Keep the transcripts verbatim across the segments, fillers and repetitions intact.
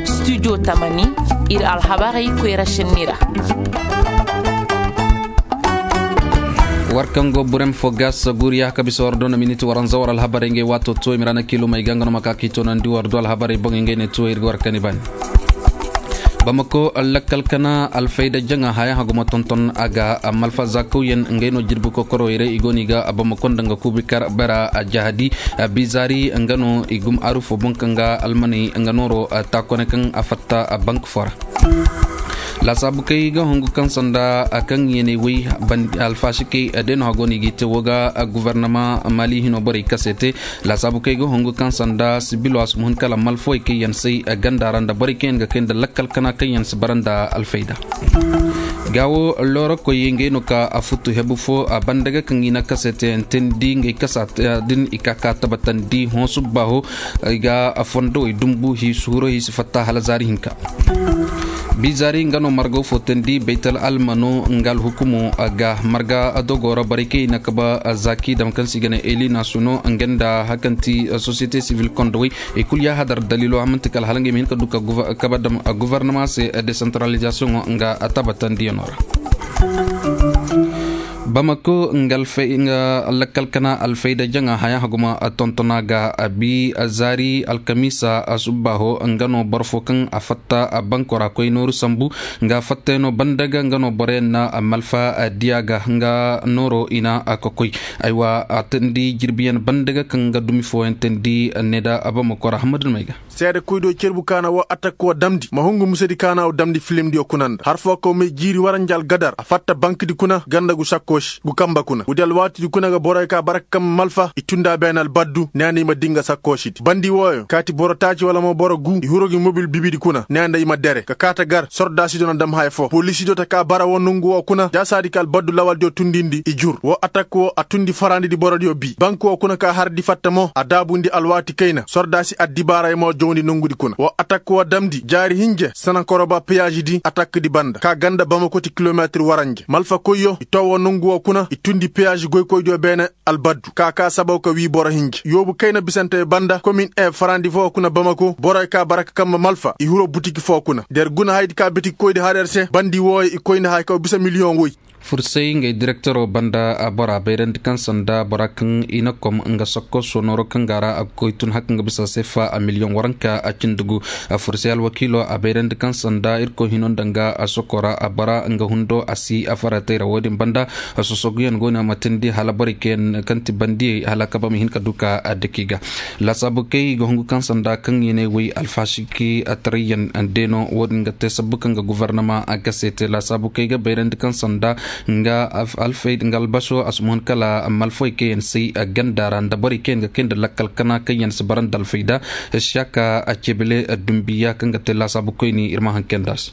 Studio tamani, ir alhabarey koyra šenni ra. War kaŋ go burem fo ga saguriya ka bisa war do na miniti waranza war alhabarey ngey waato tuwo i ma ra na kiilumey ga nga no ma ka k'i toonandi war do alhabarey boŋey ngey ne tuwo ir ga war kani baani. Bamako lakkal kana alfayda jaŋa haya haguma tonton a ga malfa zakawyaŋ ngey no jirbi kokoroyray i go no i ga bamako nda nga kuubi kar bera a jahadi. Bizaari nga no i gum aru fo boŋ kaŋ ga almaney nga nooro taakone kaŋ a fatta bank fo ra. Laasaabu kay ga hungu kaŋ sanda kaŋ yeeney way alfaasikey day no hago no i g'i te wo ga guvarnama mali hino borey kase te. Laasaabu kay ga hungu kaŋ sanda sibilo a si muhun kala malfawey kaŋ yaŋ say ganda ra nda borey kaŋ yaŋ ga kay nda lakkal kana kaŋ yaŋ si bara nda alfayda. Gaawo loorokoy ngey no ka a futu hebu fo a banda ga kaŋ i na kase te yaŋ teendi ngey kasa din i ka ka tabatandi hõ subba ho. I ga a fondowey dumbu hiisi huro hiisi fatta hala zaari hinka. Bizaari nga no margaw fo teendi baytal almano nga alhukumo ga marga dogo ra borey kaŋ i na kaba zaaki dam kaŋ se i ga ne eli nasuno nga nda hakanti sosiyete sivil kondowey. I kul ya hadar dalilo a manti kala hala ngey ma hin ka du ka kaba dam guvarnama se desantaralizasiyoŋo nga a tabatandiyaŋo ra. Bamako nga lakkal kana alfayda jaŋa haya haguma tontona ga a bi zaari alkamiisa subba ho nga no boro fo kaŋ a fatta banko ra koy nooru sambu. Nga fattayno banda ga nga no boroyaŋ na malfa diya ga nga nooro i na a kokoy. Aywa a teendi jirbiyaŋ banda ga kaŋ nga dumi fooyaŋ teendi ne da bamako ra hamadun may ga. Seede koydiyo cerbu kaana woo atak woo damndi ma hungu musedi kaana woo damndi filimdiyo kuna nda har foo kaw may jiiri waranja algadar a fatta bankdi kuna ganda gu sakkoosi gu kamba kuna woodi alwaatidi kuna ga boroyo ka bara ka kamba malfa i tunda beene albaddu neena i ma dii nga sakkoosidi bandi wooyo kaati boro taaci wala mo boro guu i huru gi mobil bibidi kuna neena i ma dere ka kaata gar sordaasidiyo na dam haya foo poliisidiyo ta ka bara woo nongu woo kuna jaasaadi ka albaddu lawaldiyo tundindi i jur woo atak woo a tundi farandidi borodiyo bii bank woo kuna ka hardi fatta mo a daabundi alwaati kayna sordaasi addibaaraymoo jawndi nongudi kuna woo atak woo damndi jaari hinje sanankoroba peyaazidi atakdi banda ka ganda bamakoti kilometir waranje malfakoyyo i too woo nongu woo kuna i tundi peyaazi goykoydiyo beene albaddu ka kaa sabaw ka wii boro hinje yoobu kayna bisante banda komin e farandi foo kuna bamako boroy ka bara ka kamma malfa i hiro butiki foo kuna der guna haydi ka bitiki koydi har er se bandi wooyo i koyndi haya kaw bisa miliyoŋ woy. Fursay ngey direktoro banda bora bayrandi kaŋ sanda bora kaŋ i na kom nga sokko sonoro kaŋ ga ra a ga koy tun haka nga bisa sefa a miliyoŋ waranka a cindi gu. Fursay alwakiilo a bayrandi kaŋ sanda irkoy hino nda nga a sokora a bora nga hundo a si a faratay ra wo-din banda. Sosoguyaŋ go no a ma tindi hala borey kaŋ ti bandiyey hala kaba ma hin ka du ka a daki ga. Laasaabu kay i ga hungu kaŋ sanda kaŋ yeeney way alfaasiki tarayyaŋ deeno wo-din ga te sabbu kaŋ ga guvarnama a gase te laasaabu kay ga bayrandi kaŋ sanda nga alfayda nga albaso a si muhun kala malfawey kaŋ yaŋ say ganda ra nda borey kaŋ yaŋ ga kay nda lakkal kana kaŋ yaŋ si bara nda alfayda. Siyaka a cebele dumbiya kaŋ ga te laasaabu koyni ir ma haŋ kay nda se.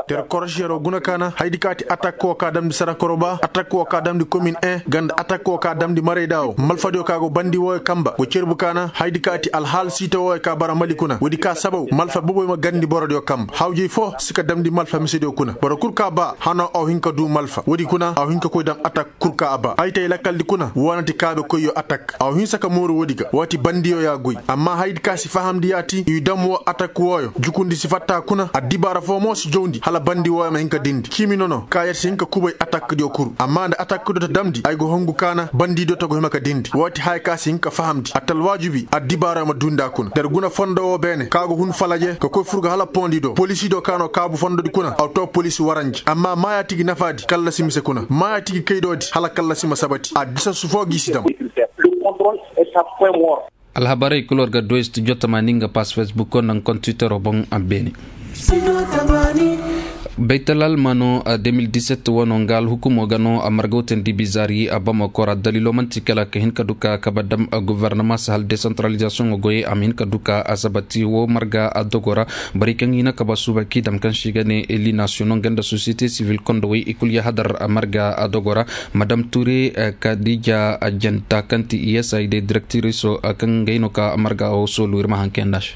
Ter korosiyero guna kaana haydi ka ti atak woo ka damndi sarakoroba atak woo ka damndi komin en ganda atak woo ka damndi marayda woo malfadiyo ka go bandi wooyo kamba go cerbu kaana haydi ka ti alhaal siita wooyo ka bara mali kuna woodi ka sabaw malfa boboy ma garndi borodiyo kamba hawjey foo si ka damndi malfa misediyo kuna boro kul ka ba hanoo aw hin ka duu malfa woodi kuna aw hin ka koy daŋ atak kul ka a ba ay tay lakaldi kuna woo na ti kaabekoyyo atak aw hinsa ka mooru woodi ga waati bandiyo ya goy amma haydi ka si fahamndi yaati i dam woo atak wooyo jukundi si fatta kuna addibaara foo mo si jawndi hala bandi wooyo ma hin ka dindi ciimi nono ka yer si hin ka kubay atakdiyo kul amma nda atakdiyo ta damndi ay go hongu kaana bandidiyo ta go hima ka dindi waati haya ka si hin ka fahamndi atta alwaajibi addibaarayo ma duu nda kuna der guna fondo woo beene ka go hun falaje ka koy fur ga hala pondi do polisidiyo ka no kaabu fondodi kuna aw too polisi waranje amma maayaati gi nafaadi kallasi mise kuna maayaati gi kaydoodi hala kallasi ma sabati a disa su foo gi si dam. Alhabarey kul war ga du studio tamaani nga pass facebook nda nga kontwitero boŋ a beene. Baytal almano de mil diset wano nga alhukumo ga no a margawtandi bizari a bamako ra dalilo manti kala ka hin ka du ka kaba dam guvarnama si hal desantralizasiyoŋo goyey a ma hin ka du ka a sabati wo marga a dogo ra. Borey kaŋ hina kaba suuba k'i dam kaŋ se i ga ne eli nasiyono nga nda sosiyete sivil kondowey i kul ya hadar marga a dogo ra. Madam ture kadija janta kaŋ ti i s i d direktiriso kaŋ ngey no ka marga wo soolu ir ma haŋ kay nda se.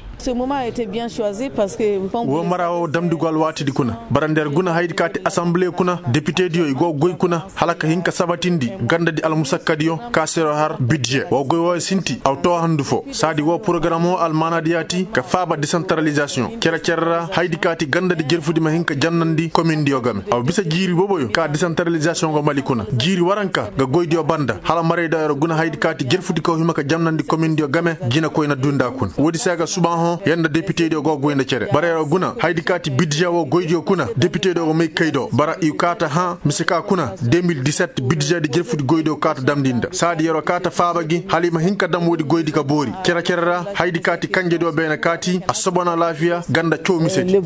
Woo mara woo damndi go alwaatidi kuna. Bara nda yer guna hayadi ka ti asanbile kuna depitediyo i go goy kuna hala ka hin ka sabatindi gandadi almusakkadiyo ka se yer har bidže woo goy wooyo sinti aw too handu foo. Saadi woo porogaram woo almaanaadi yaati ka faaba desantaralizasiyoŋ cere-cere ra hayadi ka ti gandadi jerfudi ma hin ka jannandi komindiyo game aw bisa jiiri boboyo ka desantaralizasiyoŋ go mali kuna jiiri waranka ga goydiyo banda hala marayda yer guna hayadi ka ti jerfudi kaw hima ka jannandi komindiyo game. Jinakoy na duu nda kuna woodi se ga subaahõ yer nda depitediyo go goy nda cere bara yer guna hayadi ka ti bidže woo goydiyo kuna depitediyo go may kay do bara i kaa ta hã mise ka kuna de mil diset bidžedi jirfudi goydiyo kaa ta damndi nda saadi yer kaa ta faaba gi hala i ma hin ka dam woodi goydi ka boori cere-cere ra hayadi ka ti kanjediyo beene kaati a sobo na alaafiya ganda caw misedi.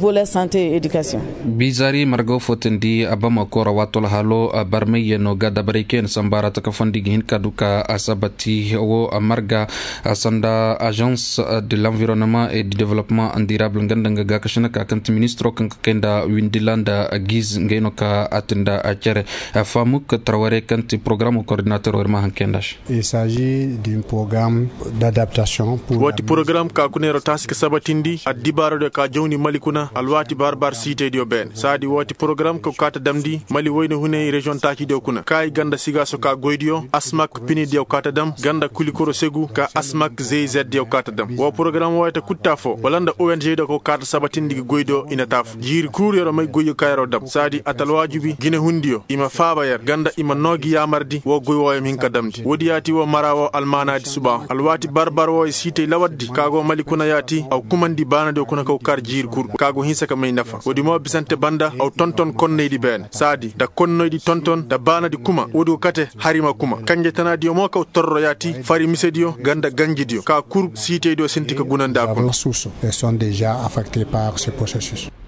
Bizaari marga woo footandi a bamako ra waato alhaalo barmayyanoo ga dabarey kaŋ yaŋ na samba ra taka fondi ga hin ka du ka a sabati woo marga sanda agence de l'environnement et du développement durable nga nda nga gaakasina ka kaŋ ti ministiro kaŋ ka kay nda windila nda giz ngey no ka a ti nda cere. Famuk tarware kaŋ ti porogaramo kordinateroo ir ma haŋ kay nda se. Woo ti porogaram ka kuna yeroo taasi ka sabatindi addibaaradiyo ka jawndi mali kuna alwaati bar-bar siitaydiyo beene saadi woo ti porogaram ka kaa ta damndi mali wayna hunay reziyoŋ taacidiyo kuna kaayi ganda sigaaso ka goydiyo asmak pinidiyo kaa ta dam ganda kulikoro segu ka asmak zey zeddiyo kaa ta dam woo porogaram wooyo ta kuttaa foo wala nda ong diyo ka kaa ta sabatindi ga goydiyo i na taa foo jiiri kul yeroo may goyyo ka yeroo dam saadi a ta alwaajibi jinehundiyo i ma faaba yer ganda i ma noo gi yaamardi woo goy wooyo ma hin ka damndi woodi yaati woo mara woo almaanaadi subaa alwaati bar-bar wooyo siitay lawaddi ka go mali kuna yaati aw kumandi baanadiyo kuna kaw kar jiiri kul ka go hinsa ka may nafa woodi mo bisante banda aw tonton konnaydi beene saadi nda konnoydi tonton nda baanadi kuma woodi go kate hari ma kuma kanjetanaadiyo mo kaw torro yaati fari misediyo ganda ganjidiyo ka kul siitaydiyo sinti ka gunandi a kuna.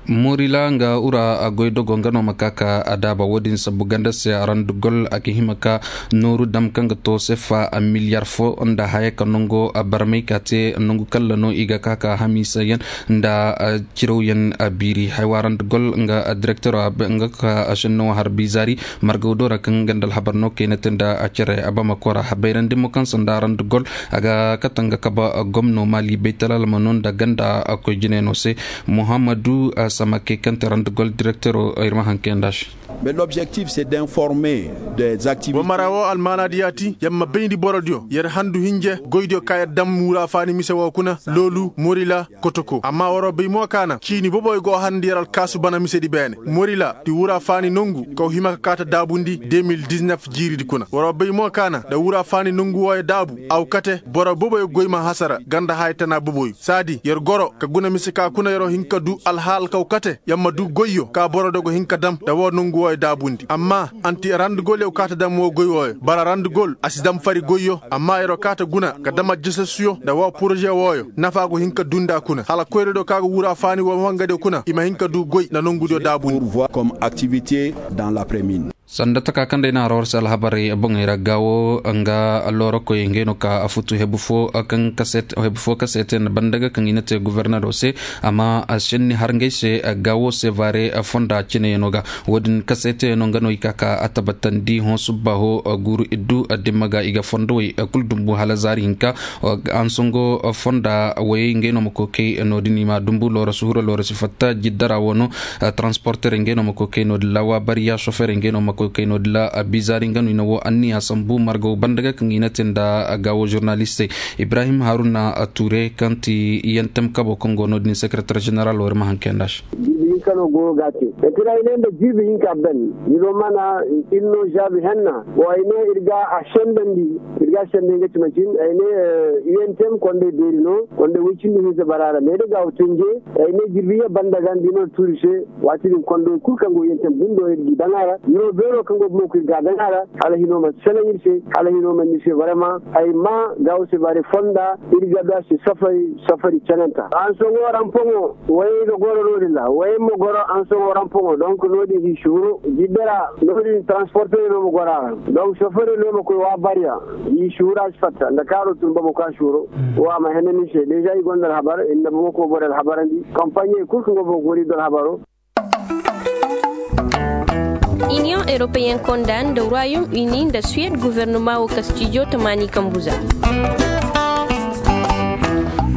Morila nga wura goydogo nga no ma ka ka a daaba woodin sabu ganda se randugol a ga hima ka nooru dam kaŋ ga to sefa miliyar fo nda haya ka nango barmay ka te nangu kalla no i ga ka ka hamiisa yaŋ nda cirawyaŋ biiri haywa randugol nga direktero nga ka shenno har bizaari margawdo ra kaŋ ganda alhabar no kayna te nda cere a bamako ra bayrandi mo kaŋ sanda randugol a ga kate nga kaba gomno mali baytalal ma no nda ganda koy jine no se muhammadu samake kaŋ te randugol direktero ir ma haŋ kay nda se. Wa mara wo almaanaadi yaati yer ma bayndi borodiyo yer handu hinje goydiyo ka yer dam wura faani mise wo kuna loolu morila kotoko amma waroo bay mo kaana ciini boboyo go harndi yer alkaasu bana misedi beene morila ti wura faani nongu kaw hima ka kaata daabundi de mil diznef jiiridi kuna waroo bay mo kaana nda wura faani nongu wooyo daabu aw kate boro boboyo goy ma hasara ganda haya tana boboyo saadi yer goro ka guna mise ka kuna yeroo hin ka du alhaal kaw kate yer ma du goyyo ka borodiyo go hin ka dam nda woo nongu wooyo daabundi amma anti randugol yer go kaata dam woo goy wooyo bara randugol a si dam fari goyyo amma yeroo kaata guna ka dam aljasasuyo nda woo poroze wooyo nafa go hin ka du nda kuna hala koyradiyo ka go wura faani woo wangadiyo kuna i ma hin ka du goy nda nongudiyo daabundi. Sanda taka kaŋ day na haro war se alhabarey boŋey ra gaawo nga loorokoy ngey no ka futu hebu fo kaŋ ka se te nda banda ga kaŋ i na te gofornero se amma senni har ngey se gaawo se vaare fonda cineyano ga. Wo-din ka se teyano nga no i ka ka a tabatandi hõ subbaaho guuru iddu dimma ga i ga fondowey kul dumbu hala zaari hinka. Ansongo fonda wayey ngey no ma koy kay no-din i ma dumbu looro si huru looro si fatta jiddara wo no. Taransporterey ngey no ma koy kay no-din ra waabariya soferey ngey no ma koy kay no-din ra bizaari nga no i na woo anniya sambu margaw banda ga kaŋ i na te nda gaawo žurnalistey. Ibrahim haruna ture kaŋ ti yentem kabo kaŋ go no-din sekretar ženeral wo ir ma haŋ kay nda se. Jirbi hinka no goyo ga a te. Etira ay ne nda jirbi hinka ben. Ni no mana ir no žaabi henna wo ay ne ir ga a sendandi ir ga a sendandi nga ci macin ay ne. Yentem kondey beeri no kondey woy cindi hinza bara ra me da ga wo tenje. Ay ne jirbi ye banda ga nda i no tuuri se. Waati din kondey kul kaŋ go yentem bundo ir ga i daŋ a ra hino beero kaŋ go bumo kul ir ga a daŋ a ra. Hala hino ma selaŋ ir se hala hino ma ni se barema ay ma gaawo se bare fonda. Ir ga du a se safari safari cananta hansoŋo rampoŋo. Wayey ga goro no-din ra wayey ma goro hansoŋo rampoŋo donk no-din hi si huru jidda ra. No-din transportey no ma goro a ra donk sofere no ma koy wa bariya. Hi si huru a si fatta nda kaaro tun bamako a si huru. Wo a ma hene ni se deeza i gonda alhabar ir na bamako boro alhabarandi kampaɲey kul kaŋ go bamako ir do alhabaro. Iniyoŋ europeyen konda nda royaume uni nda suwed guvernoma wo ka stijo tamaani kambuza.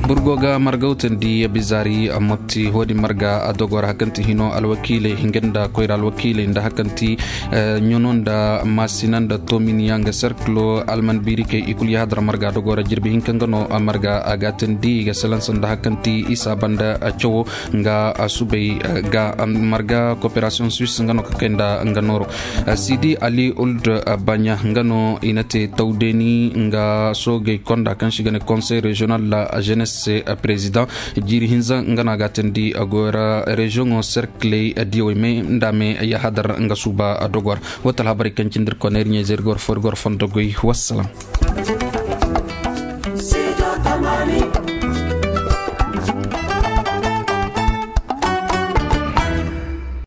Burgo ga margawtandi bizaari motti hoodi marga a dogora hakanti hino alwakiilay hinga nda koyra alwakiilay nda hakanti ɲono nda maasina nda tominiya nga serkilo alman biirikey i kul yahadar marga dogora jirbi hinka nga no marga a gaatandi i ga salansa nda hakanti isa banda cawo nga subay ga marga koperasiyoŋ suis nga no ka kay nda nga nooro. Sidi ali uld banya nga no i na te tawdeni nga soogey konda kaŋ si ga ne konsey reziyonal la jenes se prezidaŋ jiiri hinza nga no a ga tandi goyra reziyoŋo serkiley diyawey me nda me yahadar nga suuba dogor. Wata alhabarey kaŋ cindi ir koney ir ɲey zey ir gor fo ir gor fondo goy. Wassalam.